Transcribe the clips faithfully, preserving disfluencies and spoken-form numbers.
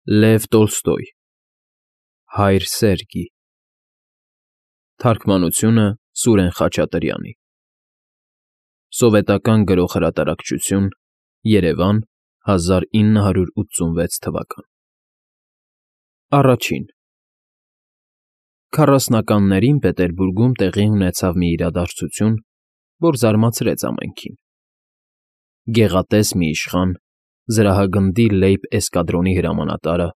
Լև Տոլստոյ Հայր Սերգի Թարգմանությունը Սուրեն Խաչատրյանի Սովետական Գրող Հրատարակչություն Երևան հազար ինը հարյուր ութսունվեց թվական Առաջին Քառասնականներին Պետերբուրգում տեղի ունեցավ մի իրադարձություն, որ զարմացրեց ամենքին։ Գեղատես մի իշխան, զրահագնդի Լեյբ էսկադրոնի հրամանատարը,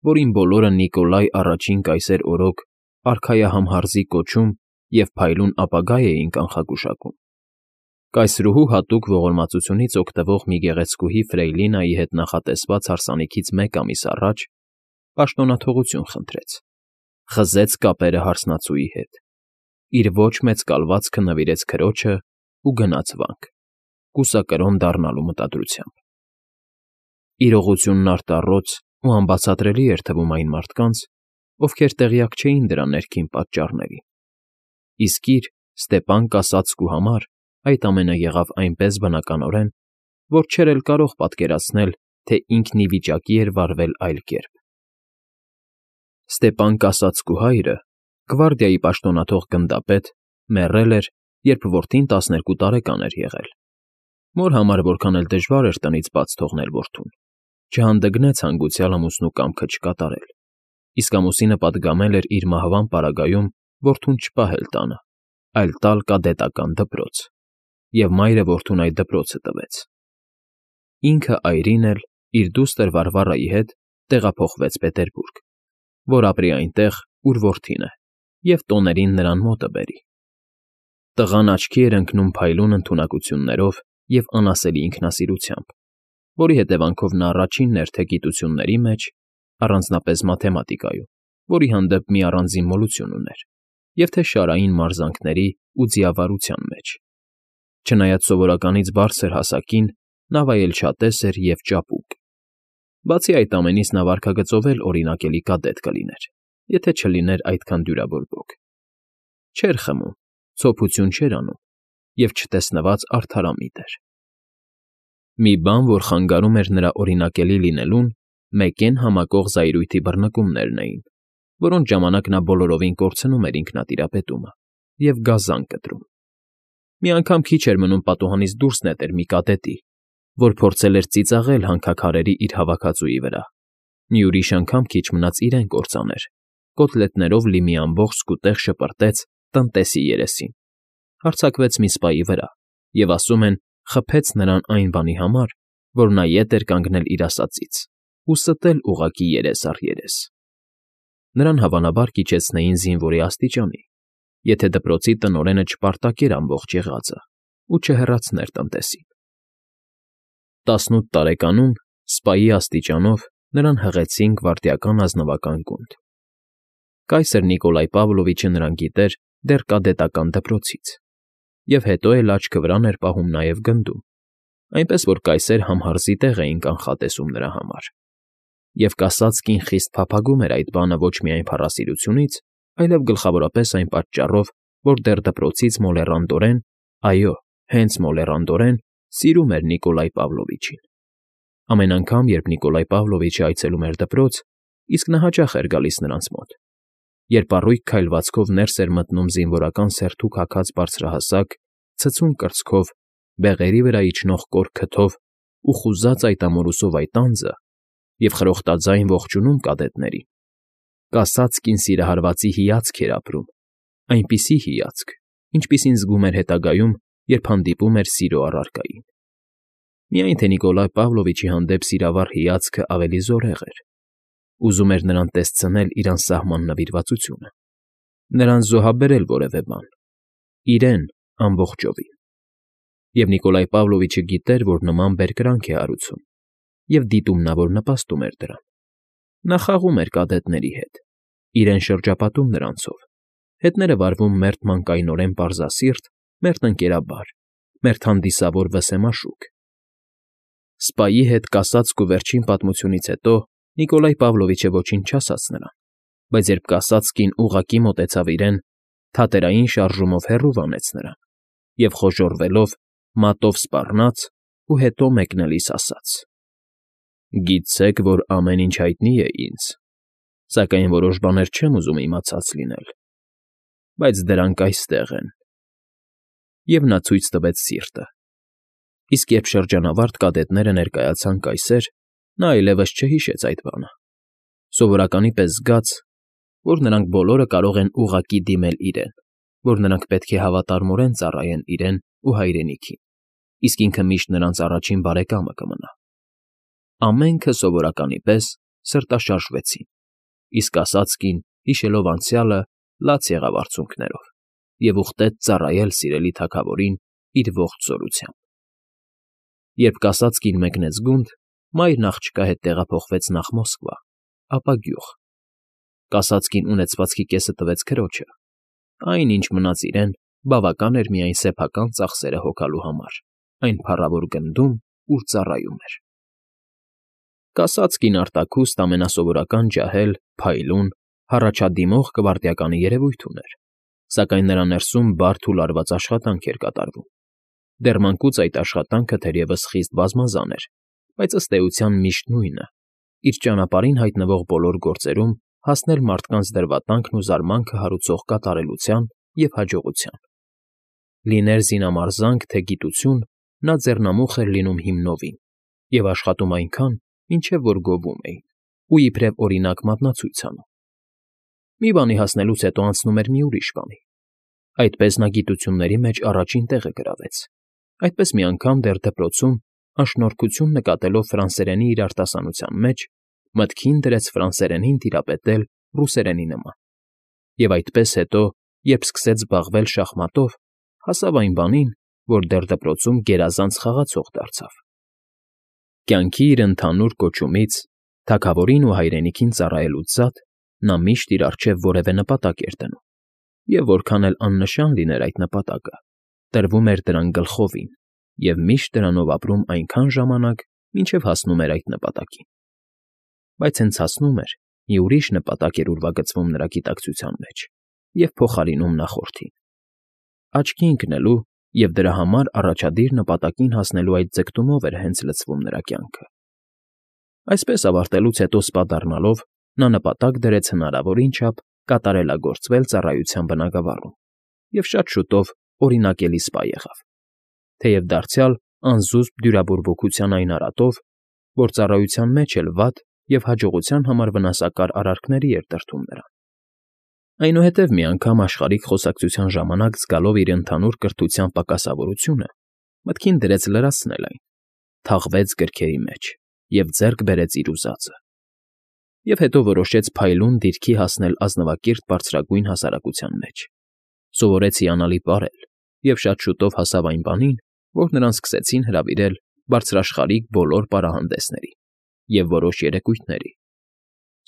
որին բոլորը Նիկոլայ առաջին կայսեր օրոք արքայահամհարզի կոչում և փայլուն ապագա էին կանխագուշակում, կայսրուհու հատուկ ողորմածությունից օգտվող մի գեղեցկուհի Ֆրեյլինայի հետ նախատեսված հարսանիքից մեկ ամիս առաջ պաշտոնաթողություն խնդրեց, խզեց կապերը հարսնացուի հետ, իր ոչ մեծ կալվածքը նվիրեց քրոջը ու գնաց վանք, կուսակրոն դառնալու մտադրությամբ։ Իրողությունն արտառոց ու անբացատրելի էր թվում այն մարդկանց, ովքեր տեղյակ չէին դրա ներքին պատճառների, իսկ իր Ստեպան Կասացկու համար այդ ամենը եղավ այնպես բնականորեն, որ չէր էլ կարող պատկերացնել, թե ինքն ի վիճակի էր վարվել այլ կերպ։ Ստեպան Կասացկու հայրը, գվարդիայի պաշտոնաթող գնդապետ, մեռել էր, երբ որդին տասներկու տարեկան էր եղել։ Մոր համար որքան էլ դժվար էր տնից բաց թողնել որդուն, չհանդգնեց հանգուցյալ ամուսնու կամքը չկատարել, իսկ ամուսինը պատգամել էր իր մահվան պարագայում որդուն չպահել տանը, այլ տալ կադետական դպրոց, և մայրը որդուն այդ դպրոցը տվեց։ Ինքը այրին էլ իր դուստր Վարվարայի հետ տեղափոխվեց Պետերբուրգ, որ ապրի այնտեղ, ուր որդին է, և տոներին նրան մոտը բերի։ Տղան աչքի էր ընկնում փայլուն ընդունակություններով և անասելի ինքնասիրությամբ, որի հետևանքով նա առաջինն էր թե գիտությունների մեջ, առանձնապես մաթեմատիկայում, որի հանդեպ մի առանձին մոլություն ուներ, և թե շարային մարզանքների ու ձիավարության մեջ։ Չնայած սովորականից բարձր հասակին, նա վայելչատես էր և ճապուկ։ Բացի այդ ամենից նա վարքագծով էլ օրինակելի կադետ կլիներ, եթե չլիներ այդքան դյուրավորվող։ Չէր խմում, ցոփություն չէր անում և չտեսնված արդարամիտ էր։ Մի բան, որ խանգարում էր նրա օրինակելի լինելուն, մեկեն համակող զայրույթի բռնկումներն էին, որոնց ժամանակ նա բոլորովին կորցնում էր ինքնատիրապետումը և գազան կտրում։ Մի անգամ քիչ էր մնում պատուհանից դուրս նետեր մի կադետի, որ փորձել էր ծիծաղել հանքաքարերի իր հավաքածուի վրա, մի ուրիշ անգամ քիչ մնաց իրեն կործաներ, կոտլետներով լի մի ամբողջ սկուտեղ շպրտեց տնտեսի երեսին, հարձակվեց մի սպայի վրա և, ասում են, խփեց նրան այն բանի համար, որ նա ետ էր կանգնել իր ասածից ու ստել ուղղակի երես առ երես։ Նրան հավանաբար կիջեցնեին զինվորի աստիճանի, եթե դպրոցի տնօրենը չպարտակեր ամբողջ եղածը ու չհեռացներ տնտեսին։ Տասնութ տարեկանում, սպայի աստիճանով, նրան հղեցին գվարդիական ազնվական գունդ։ Կայսր Նիկոլայ Պավլովիչը նրան գիտեր դեռ կադետական դպրոցից, և հետո էլ աչքը վրան էր պահում նաև գնդում, այնպես որ կայսեր համհարզի տեղ էին կանխատեսում նրա համար։ Եվ Կասացկին խիստ փափագում էր այդ բանը ոչ միայն փառասիրությունից, այլև գլխավորապես այն պատճառով, որ դեռ դպրոցից մոլեռանդորեն, այո, հենց մոլեռանդորեն սիրում էր Նիկոլայ Պավլովիչին։ Ամեն անգամ, երբ Նիկոլայ Պավլովիչը այցելում էր դպրոց, իսկ նա հաճախ էր գալիս նրանց մոտ, երբ առույգ քայլվածքով ներս էր մտնում զինվորական սերթուկ հագած բարձրահասակ, ցցուն կրծքով, բեղերի վրա իջնող կոր քթով ու խուզած այդ ամորուսով այդ անձը և խրոխտաձայն ողջունում կադետներին, Կասացկին սիրահարվածի հիացք էր ապրում, այնպիսի հիացք, ինչպիսին զգում էր հետագայում, երբ հանդիպում էր սիրո առարկային։ Միայն թե Նիկոլայ Պավլովիչի հանդեպ սիրավառ հիացքը ավելի զորեղ էր, ուզում էր նրան տեսցնել իր անսահման նվիրվածությունը, նրան զոհաբերել որևէ բան, իրեն ամբողջովին։ Եվ Նիկոլայ Պավլովիչը գիտեր, որ նման բերկրանք է հարուցում, և դիտումնավոր նպաստում էր դրան։ Նա խաղում էր կադետների հետ, իրեն շրջապատում նրանցով, հետները վարվում մերթ մանկայնորեն պարզասիրտ, մերթ ընկերաբար, մերթ հանդիսավոր վսեմաշուկ։ Սպայի հետ Կասացկու վերջին պատմությունից հետո Նիկոլայ Պավլովիչը ոչինչ չասաց նրան, բայց երբ Կասացկին ուղղակի մոտեցավ իրեն, թատերային շարժումով հեռու վանեց նրան և խոժոռվելով մատով սպառնաց ու հետո մեկնելիս ասաց. Գիտցեք, որ ամեն ինչ հայտնի է ինձ, սակայն որոշ բաներ չեմ ուզում իմացած լինել, բայց դրանք այստեղ են… Եվ նա ցույց տվեց սիրտը, իսկ երբ շրջանավարտ կադետները ներկայացան կայսեր, նա այլևս չհիշեց այդ բանը, սովորականի պես զգաց, որ նրանք բոլորը կարող են ուղղակի դիմել իրեն, որ նրանք պետք է հավատարմորեն ծառայեն իրեն ու հայրենիքին, իսկ ինքը միշտ նրանց առաջին բարեկամը կմնա… Ամենքը սովորականի պես սրտաշարժվեցին, իսկ կասածկին, հիշելով անցյալը, լաց եղավ արցունքներով և ուխտեց ծառայել սիրելի թագավորին իր ողջ զորությամբ… Երբ կասածկին մեկնեց գունդ, մայրն աղջկա հետ տեղափոխվեց նախ Մոսկվա, ապա գյուղ… Կասածկին ունեցվածքի կեսը տվեց քրոջը, այն, ինչ մնաց իրեն, բավական էր միայն սեփական ծախսերը հոգալու համար այն փառավոր գնդում, ուր ծառայում էր… Կասածկին արտաքուստ ամենասովորական ջահել, փայլուն, հառաջադիմող կվարտյականի երևույթ ուներ, սակայն նրա ներսում բարդ ու լարված աշխատանք էր կատարվում… Դեռ մանկուց այդ աշխատանքը թերևս խիստ բազմազան էր, բայց ըստ էության միշտ նույնը՝ իր ճանապարհին հայտնվող բոլոր գործերում հասնել մարդկանց դրվատանքն ու զարմանքը հարուցող կատարելության և հաջողության… Լիներ զինամարզանք, թե գիտություն, նա ձեռնամուխ էր լինում հիմնովին և աշխատում այնքան, մինչև որ գովում էին, ու իբրև օրինակ մատնացույց անում… Մի բանի հասնելուց հետո անցնում էր մի ուրիշ բանի… Այդպես նա գիտությունների մեջ առաջին տեղը գրավեց… Այդպես մի անգամ դեռ դպրոցում, անշնորհքություն նկատելով ֆրանսերենի իր արտասանության մեջ, մտքին դրեց ֆրանսերենին տիրապետել ռուսերենի նման… Եվ այդպես հետո, երբ սկսեց զբաղվել շախմատով, հասավ այն բանին, որ դեռ դպրոցում գերազանց խաղացող դարձավ… Կյանքի իր ընդհանուր կոչումից, թագավորին ու հայրենիքին ծառայելուց զատ, նա միշտ իր առջև որևէ նպատակ էր դնում, և որքան էլ աննշան լիներ այդ նպատակը, տրվում էր դրան գլխովին և միշտ դրանով ապրում այնքան ժամանակ, մինչև հասնում էր այդ նպատակին… Բայց հենց հասնում էր, մի ուրիշ նպատակ էր ուրվագծվում նրա գիտակցության մեջ և փոխարինում նախորդին… Աչքի ընկնելու և դրա համար առաջադիր նպատակին հասնելու այդ ձգտումով էր հենց լցվում նրա կյանքը… Այսպես ավարտելուց հետո սպա դառնալով, նա նպատակ դրեց հնարավորին չափ կատարելագործվել ծառայության բնագավառում և շատ շուտով օրինակելի սպա եղավ, թեև դարձյալ անզուսպ դյուրաբորբոքության այն արատով, որ ծառայության մեջ էլ վատ և հաջողության համար վնասակար արարքների էր տրտում նրան… Այնուհետև մի անգամ աշխարհիկ խոսակցության ժամանակ զգալով իր ընդհանուր կրթության պակասավորությունը, մտքին դրեց լրացնել այն, թաղվեց գրքերի մեջ և ձեռք բերեց իր ուզածը… Եվ հետո որոշեց փայլուն դիրքի հասնել ազնվակիրթ բարձրագույն հասարակության մեջ, սովորեց հիանալի պարել և շատ շուտով հասավ այն բանին, որ նրան սկսեցին հրավիրել բարձրաշխարհիկ բոլոր պարահանդեսների և որոշ երեկույթների…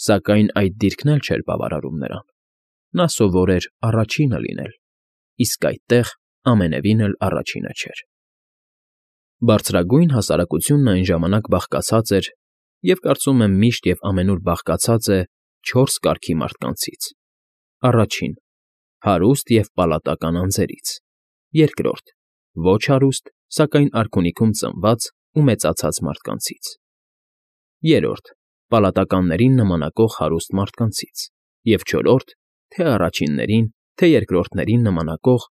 Սակայն այդ դիրքն էլ չէր բավարարում նրան… Նա սովոր էր առաջինը լինել, իսկ այդտեղ ամենևին էլ առաջինը չէր… Բարձրագույն հասարակությունն այն ժամանակ բաղկացած էր և, կարծում եմ, միշտ և ամենուր բաղկացած է չորս կարգի մարդկանցից. առաջին՝ հարուստ և պալատական անձերից, երկրորդ՝ ոչ հարուստ, սակայն արքունիքում ծնված ու մեծացած մարդկանցից, երրորդ՝ պալատականներին նմանակող հարուստ մարդկանցից և չորրորդ՝ թե առաջիններին, թե երկրորդներին նմանակող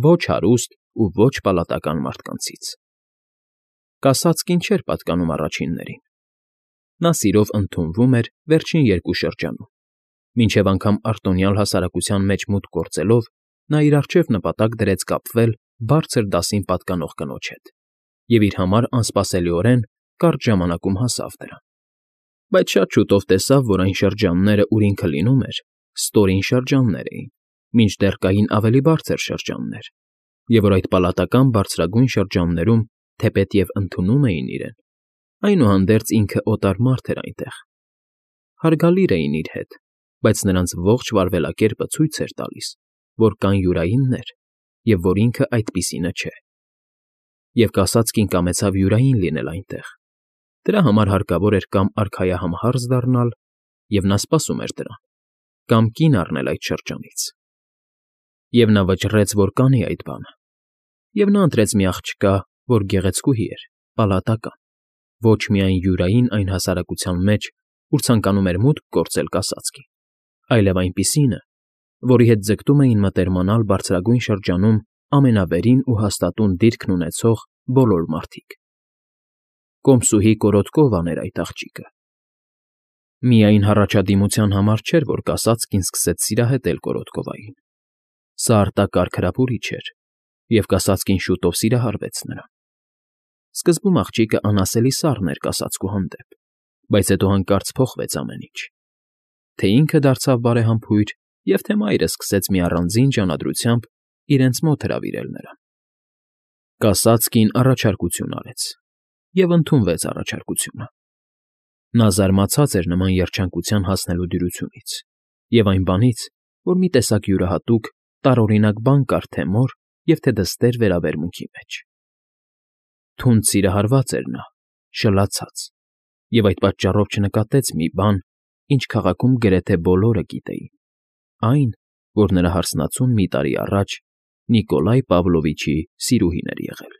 ոչ հարուստ ու ոչ պալատական մարդկանցից… Կասածկին չէր պատկանում առաջիններին… Նա սիրով ընդունվում էր վերջին երկու շրջանում, մինչև անգամ արտոնյալ հասարակության մեջ մուտք գործելով նա իր առջև նպատակ դրեց կապվել բարձր դասին պատկանող կնոջ հետ և իր համար անսպասելիորեն կարճ ժամանակում հասավ դրան… Բայց շատ շուտով տեսավ, որ այն շրջանները, ուր ինքը լինում էր, ստորին շրջաններ էին, մինչդեռ կային ավելի բարձր շրջաններ, և որ այդ պալատական բարձրագույն շրջաններում, թեպետև ընդունում էին իրեն, այնուհանդերձ ինքը օտար մարդ էր այնտեղ… Հարգալիր էին իր հետ, բայց նրանց ողջ վարվելակերպը ցույց էր տալիս, որ կան յուրայիններ և որ ինքը այդպիսինը չէ… Եվ կասածկին կամեցավ յուրային լինել այնտեղ, դրա համար հարկավոր էր կամ արքայահամհարձ դառնալ, և նա սպասում էր դրան, կամ կին առնել այդ շրջանից… Եվ նա վճռեց, որ կանի այդ բանը, և նա ընտրեց մի աղջկա, որ գեղեցկուհի էր, պալատական, Ոչ միայն յուրային այն հասարակության մեջ, ուր ցանկանում էր մուտք գործել կասածկին, այլև այնպիսինը, որի հետ ձգտում էին մտերմանալ բարձրագույն շրջանում ամենավերին ու հաստատուն դիրքն ունեցող բոլոր մարդիկ։ Կոմսուհի կորոտկով աներ այդ աղջիկը։ Միայն հառաջադիմության համար չէր, որ կասածկին սկսեց սիրահետել կորոտկովային. սա արտակարգ հրապուրիչ էր, և կասածկին շուտով սիրահարվեց նրան։ Սկզբում աղջիկը անասելի սառն էր կասածկու հանդեպ, բայց հետո հանկարծ փոխվեց ամեն ինչ. թե ինքը դարձավ բարեհամբույր, և թե մայրը սկսեց մի առանձին ջանադրությամբ իրենց մոտ հրավիրել նրան։ Կասածկին առաջարկություն արեց, և ընդունվեց առաջարկությունը։ Նա զարմացած էր նման երջանկության հասնելու դյուրությունից և այն բանից, որ մի տեսակ յուրահատուկ, տարօրինակ բան կար թե՛ մոր և թե՛ դստեր վերաբերմունքի մեջ։ Թունդ սիրահարված էր նա, շլացած, և այդ պատճառով չնկատեց մի բան, ինչ քաղաքում գրեթե բոլորը գիտեին. այն, որ նրա հարսնացուն մի տարի առաջ Նիկոլայ Պավլովիչի սիրուհին էր եղել։